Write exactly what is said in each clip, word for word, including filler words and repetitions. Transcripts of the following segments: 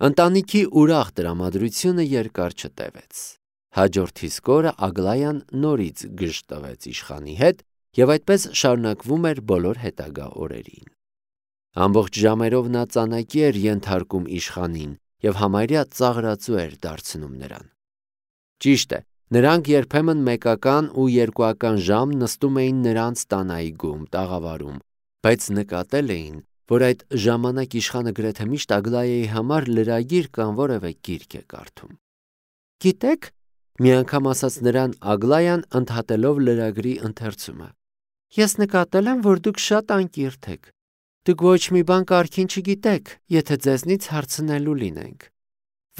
Ընտանիքի ուրախ տրամադրությունը երկար չտևեց։ Հաջորդ իսկ օրը Ագլայան նորից գժ տվեց իշխանի հետ, եւ այդպես շարունակվում էր բոլոր հետագա օրերին։ Ամբողջ ժամերով նա ծանակի էր ենթարկում իշխանին եւ համարյա ծաղրածու էր դարձնում նրան։ Ճիշտ է, նրանք երբեմն մեկական ու երկուական ժամ նստում էին նրանց տան այգում, տաղավարում, բայց նկատել էին, որ այդ ժամանակ իշխանը գրեթե միշտ Ագլայայի համար լրագիր կամ որևէ գիրք է կարդում։ Գիտեք, մի անգամ ասաց նրան Ագլայան ընդհատելով լրագրի ընթերցումը. Ես նկատել եմ, որ դուք շատ անկիրթ եք։ Դուք ոչ մի բան կարգին չգիտեք, եթե ձեզնից հարցնելու լինենք։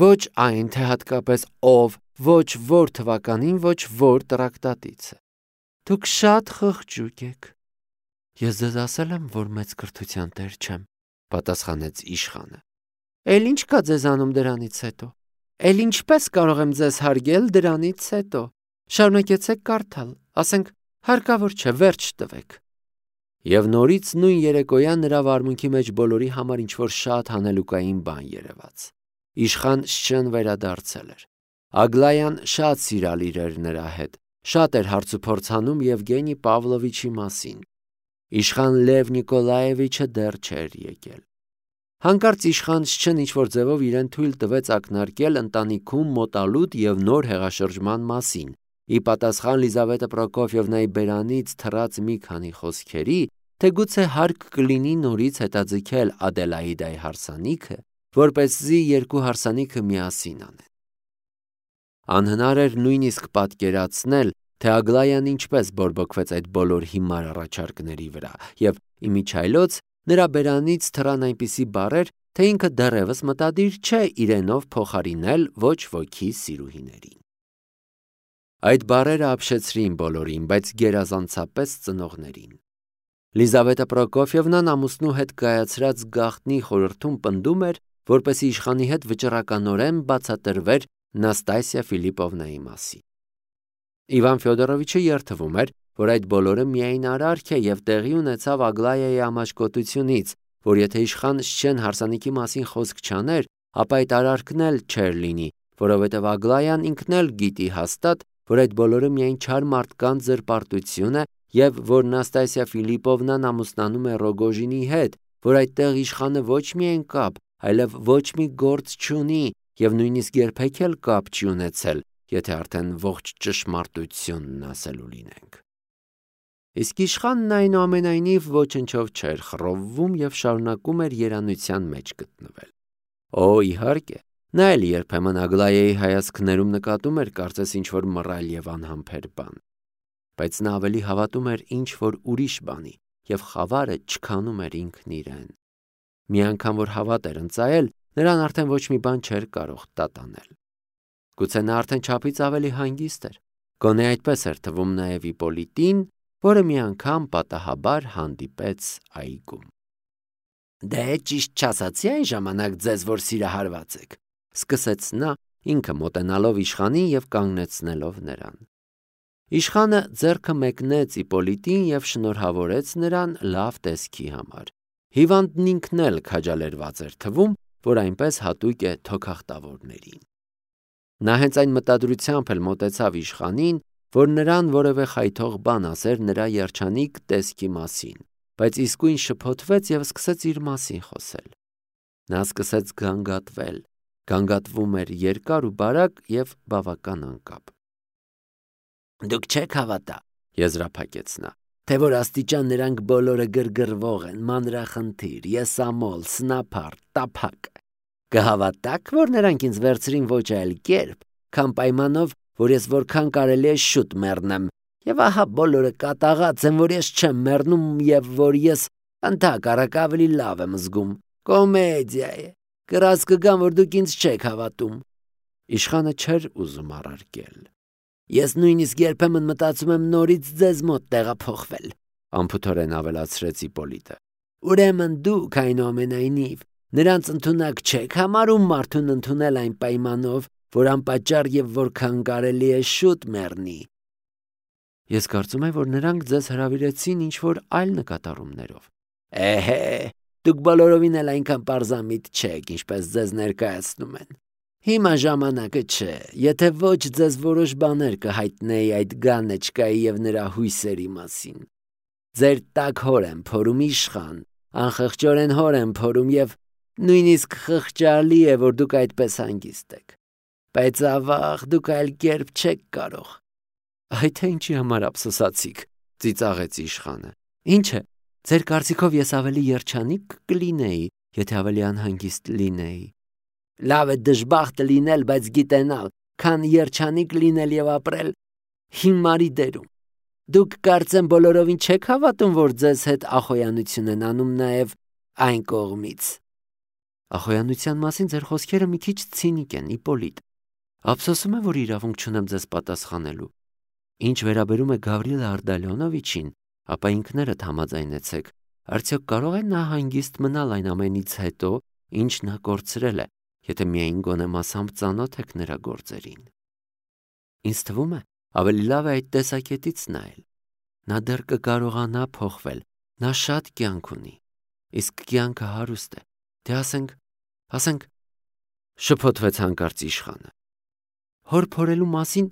Ոչ այն, թե հատկապես ով, ոչ որ թվականին, ոչ որ տրակտատից է։ Դուք շատ խղճուկ եք։ Ես ձեզ ասել եմ, որ մեծ կրթության տեր չեմ, պատասխանեց իշխանը։ Էլ ինչ կա ձեզանում դրանից հետո։ Էլ ինչպես կարող եմ ձեզ հարգել դրանից հետո։ Շարունակեցեք կարդալ, ասենք հարկավոր չէ, վերջ տվեք։ Եվ նորից նույն երեկոյան նրա վարմունքի մեջ բոլորի համար ինչ-որ շատ հանելուկային բան երևաց։ Իշխան Շչեն վերադարձել էր։ Ագլայան շատ սիրալիր էր նրա հետ, շատ էր հարցուփորձ անում Եվգենի Պավլովիչի մասին։ Իշխան Լև Նիկոլաևիչը դեռ չէր եկել։ Հանկարծ իշխան Շչեն ինչ-որ ձևով իրեն թույլ տվեց ակնարկել ընտանիքում մոտալուտ եւ նոր հեղաշրջման մասին։ Ի պատասխան Լիզավետա Պրոկոֆիևնայի բերանից թռած մի քանի խոսքերի, թե գուցե հարկ կլինի նորից հետաձգել Ադելաիդայի հարսանիքը, որպեսզի երկու հարսանիքը միասին անեն։ Անհնար էր նույնիսկ պատկերացնել, թե Ագլայան ինչպես բորբոքվեց այդ բոլոր հիմար առաջարկների վրա, եւ իմիջայլոց նրա բերանից թռան այնպիսի բառեր, թե ինքը դեռևս մտադիր չէ իրենով փոխարինել ոչ ոքի սիրուհիներին։ Այդ բառերը ապշեցրին բոլորին, բայց գերազանցապես ծնողներին։ Լիզավետա Պրոկոֆիևնան ամուսնու հետ կայացրած գաղտնի խորհրդում պնդում էր, որպեսզի իշխանի հետ վճռականորեն բացատրվեր Նաստասիա Ֆիլիպովնայի մասին։ Իվան Ֆյոդորովիչը երդվում էր, որ այդ բոլորը միայն արարք է եւ տեղի ունեցավ Ագլայայի ամաչկոտությունից, որ եթե իշխան Շչեն հարսանիքի մասին խոսք չաներ, ապա այդ արարքն էլ չէր լինի, որովհետեւ Ագլայան ինքն էլ գիտի հաստատ, որ այդ բոլորը միայն չար մարդկանց զրպարտություն է եւ որ Նաստասիա Ֆիլիպովնան ամուսնանում է Ռոգոժինի հետ, որ այդտեղ իշխանը ոչ միայն կապ, այլև ոչ մի գործ չունի եւ նույնիսկ երբեք էլ կապ չի ունեցել, եթե արդեն ողջ ճշմարտությունն ասելու լինենք։ Իսկ իշխանն այնուամենայնիվ ոչնչով չէր խռովվում եւ շարունակում էր երանության մեջ գտնվել։ Օ, իհարկե, նա էլ երբեմն Ագլայայի հայացքներում նկատում էր կարծես ինչ-որ մռայլ եւ անհամբեր բան, բայց նա ավելի հավատում էր ինչ-որ ուրիշ բանի եւ խավարը չքանում էր ինքն իրեն։ Մի անգամ որ հավատ էր ընծայել, նրան արդեն ոչ մի բան չէր կարող տատանել։ Գուցե նա արդեն չափից ավելի հանգիստ էր։ Գոնե այդպես էր թվում նաեւ Իպոլիտին, որը մի անգամ պատահաբար հանդիպեց այգում։ Դե ճիշտ չասացի այն ժամանակ ձեզ, որ սիրահարված եք, սկսեց նա, ինքը մոտենալով իշխանին եւ կանգնեցնելով նրան։ Իշխանը ձեռքը մեկնեց Իպոլիտին եւ շնորհավորեց նրան լավ տեսքի համար։ Հիվանդն ինքն էլ քաջալերված էր թվում, որ այնպես հատուկ է թոքախտավորներին։ Նա հենց այն մտադրությամբ էլ մոտեցավ իշխանին, որ նրան որևէ խայթող բան ասեր նրա երջանիկ տեսքի մասին, բայց իսկույն շփոթվեց եւ սկսեց իր մասին խոսել։ Նա սկսեց գանգատվել, գանգատվում էր երկար ու բարակ եւ բավական անկապ։ Դուք չեք հավատա, եզրափակեց նա, թե որ աստիճան նրանք բոլորը գրգռվող են, մանրախնդիր, եսամոլ, սնափար, տափակ։ Կհավատաք, որ նրանք ինձ վերցրին ոչ այլ կերպ, քան պայմանով, որ ես որքան կարելի է շուտ մեռնեմ, եւ ահա բոլորը կատաղած են, որ ես չեմ մեռնում եւ որ ես ընդհակառակ ավելի լավ եմ զգում։ Կոմեդիա է։ Կրած կգամ, որ դուք ինձ չեք հավատում։ Իշխանը չէր ուզում առարկել։ Ես նույնիսկ երբեմն մտածում եմ նորից ձեզ մոտ տեղափոխվել, անփութորեն ավելացրեց Իպոլիտը։ Ուրեմն դուք այնուամենայնիվ նրանց ընդունակ չեք համարում մարդուն ընդունել այն պայմանով, որ անպատճառ եւ որքան կարելի է շուտ մեռնի։ Ես կարծում եմ, որ նրանք ձեզ հրավիրեցին ինչ-որ այլ նկատառումներով։ Էհե, Դուք բոլորովին էլ այնքան պարզամիտ չեք, ինչպես ձեզ ներկայացնում են։ Հիմա ժամանակը չէ, եթե ոչ ձեզ որոշ բաներ կհայտնեի այդ գանեչկայի և նրա հույսերի մասին։ Ձեր տաք հոր եմ փորում իշխան, անխղճորեն հոր եմ փորում և նույնիսկ խղճալի է, որ դուք այդպես հանգիստ եք։ Բայց ավաղ դուք այլ կերպ չեք կարող։ Այդ թե ինչի համար ափսոսացիք, ծիծաղեց իշխանը։ Ինչ է, ձեր կարծիքով ես ավելի երջանիկ կլինեի, եթե ավելի անհանգիստ լինեի։ Լավ է դժբախտ լինել, բայց գիտենալ, քան երջանիկ լինել և ապրել հիմարի դերում։ Դուք կարծեմ բոլորովին չեք հավատում, որ ձեզ հետ ախոյանություն են անում նաև այն կողմից։ Ախոյանության մասին ձեր խոսքերը մի քիչ ցինիկ են, Իպոլիտ։ Ափսոսում եմ, որ իրավունք չունեմ ձեզ պատասխանելու։ Ինչ վերաբերում է Գավրիել Արտալյոնովիչին, ապա ինքներդ համաձայնեցեք, արդյոք կարող է նա հանգիստ մնալ այն ամենից հետո, ինչ նա կորցրել է, եթե միայն գոնե մասամբ ծանոթ եք նրա գործերին։ Ինձ թվում է, ավելի լավ է այդ տեսակետից նայել։ Նա դեռ կկարողանա փոխվել, նա շատ կյանք ունի, իսկ կյանքը հարուստ է, թե ասենք, ասենք, շփոթվեց հանկարծ իշխանը։ Հոր փորելու մասին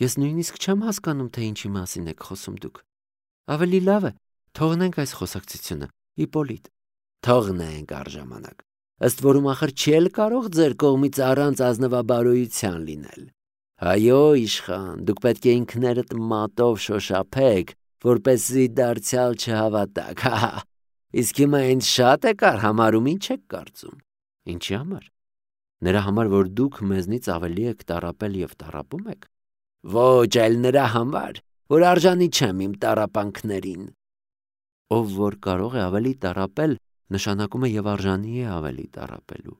ես նույնիսկ չեմ հասկանում, թե ինչի մասին եք խոսում դուք։ Ավելի լավ է, թողնենք այս խոսակցությունը, Իպոլիտ։ Թողնենք առժամանակ, ըստ որում ախր չի էլ կարող ձեր կողմից առանց ազնվաբարոյության լինել։ Այո, իշխան, դուք պետք է ինքներդ մատով շոշափեք, որպեսզի դարձյալ չհավատաք, հա, իսկ հիմա ինձ շատ եք արհամարհում, ինչ եք կարծում։ Ինչի համար։ Նրա համար, որ դուք մեզնից ավելի եք տառապել և տառապում եք։ Ոչ, այլ նրա համար, որ արժանի չեմ իմ տառապանքներին։ Ով որ կարող է ավելի տառապել, նշանակում է և արժանի է ավելի տառապելու։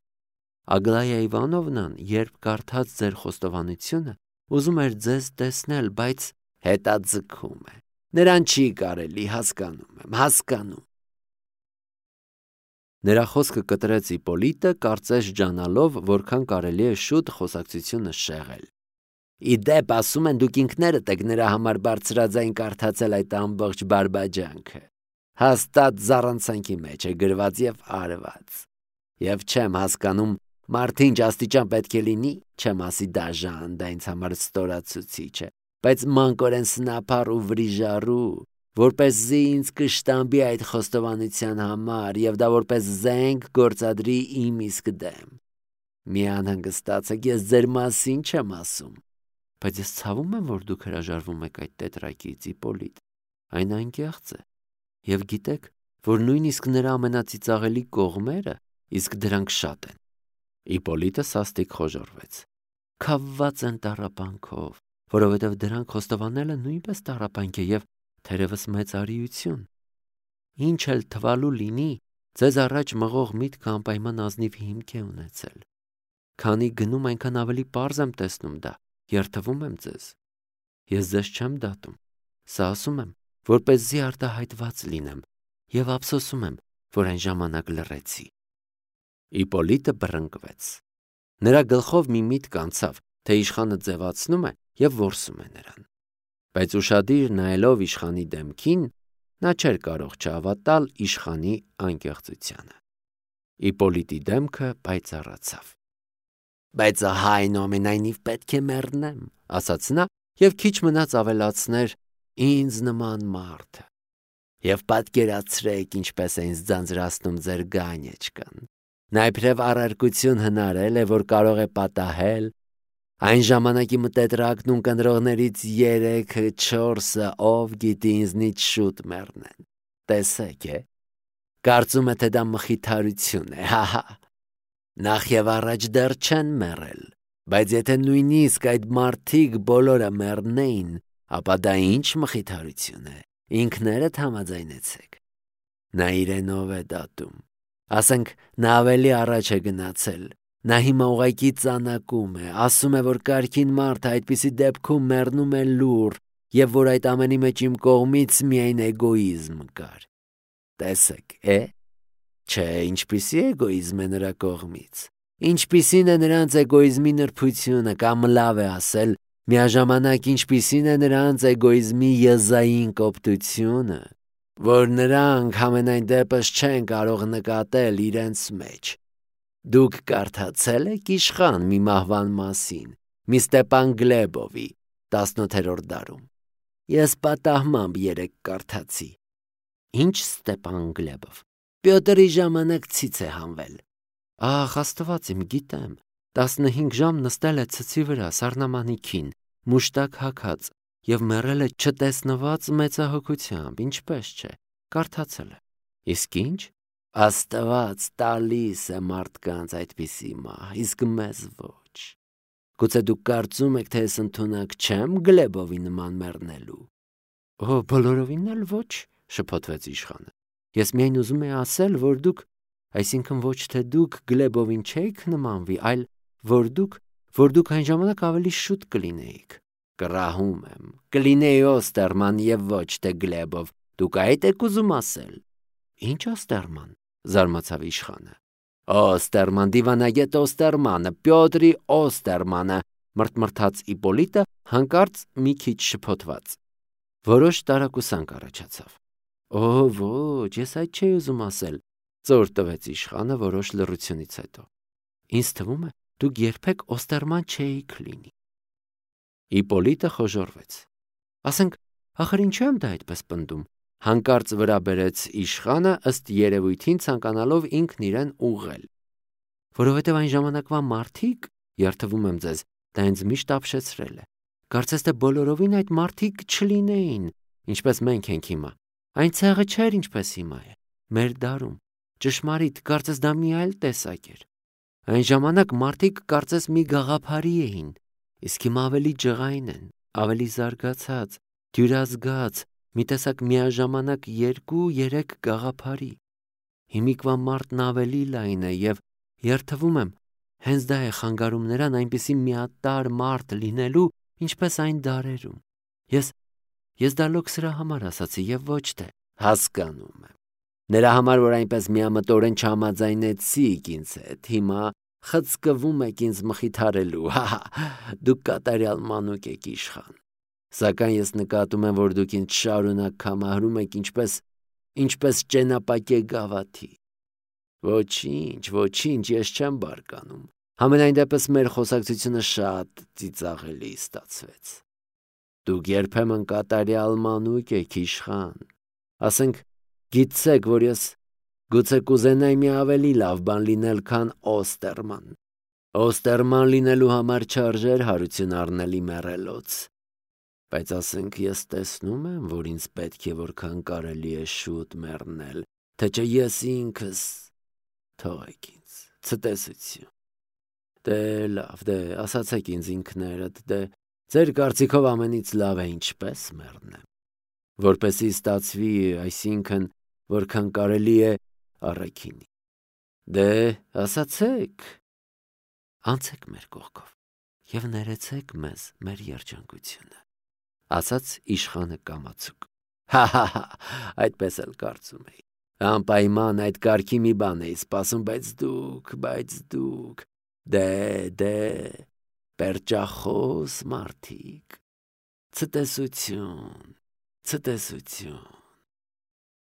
Ագլայա Իվանովնան, երբ կարդաց ձեր խոստովանությունը, ուզում էր ձեզ տեսնել, բայց հետաձգում է։ Նրան չի կարելի, հասկանում եմ, հասկանում։ Նրա խոսքը կտրեց Իպոլիտը, կարծես ջանալով, որքան կարելի է շուտ խոսակցությունը շեղել։ Ի դեպ, ասում են, դուք ինքներդ եք նրա համար բարձրաձայն կարդացել այդ ամբողջ բարբաջանքը։ Հաստատ զառանցանքի մեջ է գրված և արված։ Եվ չեմ հասկանում, մարդը ինչ աստիճան պետք է լինի, չեմ ասի դաժան, դա ինձ համար ստորացուցիչ է, բայց մանկորեն սնափառ ու վրիժառու, որպեսզի ինձ կշտամբի այդ խոստովանության համար և դա որպես զենք գործադրի իմ իսկ դեմ։ Մի անհանգստացեք, ես ձեր մասին չեմ ասում։ Բայց ես ցավում եմ, որ դուք հրաժարվում եք այդ տետրակից, Իպոլիտ։ Այն անկեղծ է։ Եվ գիտեք, որ նույնիսկ նրա ամենածիծաղելի կողմերը, իսկ դրանք շատ են։ Իպոլիտը սաստիկ խոժոռվեց։ Քավված են տառապանքով, որովհետև դրանք խոստովանելը նույնպես տառապանք է և թերևս մեծ արիություն։ Ինչ էլ թվալու լինի, ձեզ առաջ մղող միտքը անպայման ազնիվ հիմք է ունեցել։ Քանի գնում այնքան ավելի պարզ եմ տեսնում դա, երդվում եմ ձեզ։ Ես ձեզ չեմ դատում, սա ասում եմ, որպեսզի արտահայտված լինեմ և ափսոսում եմ, որ այն ժամանակ լռեցի։ Իպոլիտը բռնկվեց։ Նրա գլխով մի միտք անցավ, թե իշխանը ձևացնում է և որսում է նրան։ Բայց ուշադիր նայելով իշխանի դեմքին, նա չէր կարող չհավատալ իշխանի անկեղծությանը։ Իպոլիտի դեմքը պայծառացավ։ Բայց ահա այնուամենայնիվ պետք է մեռնեմ, ասաց նա և քիչ մնաց ավելացներ ինձ նման մարդը։ Եվ պատկերացրեք, ինչպես է ինձ ձանձրացնում ձեր գանեչկան։ Նա իբրև առարկություն հնարել է, որ կարող է պատահել։ Այն ժամանակի մտետրակն ու կնրողներից երեքը, չորսը, ով գիտի ինձնից շուտ մեռնեն։ Տեսեք, է։ Կարծում է, թե դա մխիթարություն է, հա-հա։ Նախ և առաջ դեռ չեն մեռել, բայց եթե նույնիսկ այդ մարդիկ բոլորը մեռնեին, ապա դա ինչ մխիթարություն է, ինքներդ համաձայնեցեք։ Նա իրենով է դատում։ Ասենք, նա ավելի առաջ է գնացել, նա հիմա ուղղակի ծանակում է, ասում է, որ կարգին մարդը այդպիսի դեպքում մեռնում է լուռ և որ այդ ամենի մեջ իմ կողմից միայն էգոիզմ կար։ Տեսեք, է։ Չէ, ինչպիսի էգոիզմ է նրա կողմից։ Ինչպիսին է նրանց էգոիզմի նրբությունը, կամ լավ է ասել, միաժամանակ ինչպիսին է նրանց էգոիզմի եզային կոպտությունը։ որ նրանք համենայն դեպս չեն կարող նկատել իրենց մեջ։ Դուք կարդացել եք իշխան մի մահվան մասին, մի Ստեպան Գլեբովի, տասնութերորդ դարում։ Ես պատահմամբ երեկ կարդացի։ Ինչ Ստեպան Գլեբով։ Պյոտրի ժամանակ ցից է հանվել։ Ախ, Աստված իմ, գիտեմ։ տասնհինգ ժամ նստել է ցցի վրա սառնամանիքին, մուշտակ հագած, եւ մեռել է չտեսնված մեծահոգությամբ, ինչպես չէ, կարդացել է։ Իսկ ինչ։ Աստված տալիս է մարդկանց այդպիսի մահ, իսկ մեզ ոչ։ Գուցե դուք կարծում եք, թե ես ընդունակ չեմ Գլեբովի նման մեռնելու։ Օ, բոլորովին էլ ոչ, շփոթվեց իշխանը։ Ես միայն ուզում եի ասել, որ դուք, այսինքն ոչ թե դուք Գլեբովին չէիք նմանվի, այլ որ դուք, որ դուք այն ժամանակ ավելի շուտ կլինեիք։ Կռահում եմ, կլինեի Օստերման եւ ոչ թե Գլեբով։ Դուք այդ եք ուզում ասել։ Ինչ Օստերման, զարմացավ իշխանը։ Օստերման, դիվանագետ Օստերմանը, Պյոտրի Օստերմանը, մրթմրթաց Իպոլիտը, հանկարծ մի քիչ շփոթված։ Որոշ տարակուսանք առաջացավ։ Օ, ոչ, ես այդ չէի ուզում ասել, ծոր տվեց իշխանը որոշ լռությունից հետո։ Ինձ թվում է, դուք երբեք Օստերման չէիք լինի։ Իպոլիտը խոժոռվեց։ Ասենք, ախր ինչու եմ դա այդպես պնդում։ Հանկարծ վրա բերեց իշխանը, ըստ երևույթին ցանկանալով ինքն իրեն ուղղել։ Որովհետև այն ժամանակվա մարդիկ, երթվում եմ ձեզ, դա ինձ միշտ ապշեցրել է։ Կարծես թե բոլորովին այդ մարդիկ չլինեին, ինչպես մենք ենք հիմա։ Այն ցեղը չէր, ինչպես հիմա է։ Մեր դարում ճշմարիտ, կարծես դա մի այլ տեսակ էր։ Այն ժամանակ մարդիկ կարծես մի գաղափարի էին, իսկ հիմա ավելի ջղայն են, ավելի զարգացած, դյուրազգաց, մի տեսակ միաժամանակ երկու-երեք գաղափարի։ Հիմիկվա մարդն ավելի լայն է եւ երթվում եմ, հենց դա է խանգարում նրան այնպիսի միատարր մարդ լինելու, ինչպես այն դարերում։ Ես ես դա լոկ սրա համար ասացի եւ ոչ թե հասկանում եմ։ Նրա համար, որ այնպես միամտորեն չհամաձայնեցիք ինձ հետ, հիմա խցկվում եք ինձ մխիթարելու, հա, դուք կատարյալ մանուկ եք իշխան։ Սակայն ես նկատում եմ, որ դուք ինձ շարունակ կամահրում եք ինչպես, ինչպես ճենապակե գավաթի։ Ոչինչ, ոչինչ, ես չեմ բարկանում։ Համենայն դեպս մեր խոսակցությունը շատ ծիծաղելի ստացվեց։ Դուք երբեմն կատարյալ մանուկ եք իշխան։ Ասենք, գիտեք, որ ես գուցե կուզենայի մի ավելի լավ բան լինել, քան Օստերման։ Օստերման լինելու համար չարժեր հարություն առնել իմ մեռելոց։ Բայց ասենք ես տեսնում եմ, որ ինձ պետք է որքան կարելի է շուտ մեռնել, թե չէ ես ինքս թողեք ինձ, ցտեսություն։ Դե լավ, դե ասացեք ինձ ինքներդ, դե ձեր կարծիքով ամենից լավ է ինչպես մեռնեմ, որպեսզի ստացվի, այսինքն որքան կարելի է առաքինի։ Դե ասացեք, անցեք մեր կողքով եւ ներեցեք մեզ մեր երջանկությունը, ասաց իշխանը կամացուկ։ Հա-հա-հա, այդպես էլ կարծում էի։ Անպայման այդ կարգի մի բան էի սպասում, բայց դուք, բայց դուք, դե, դե, պերճախոս մարդիկ, ցտեսություն, ցտեսություն։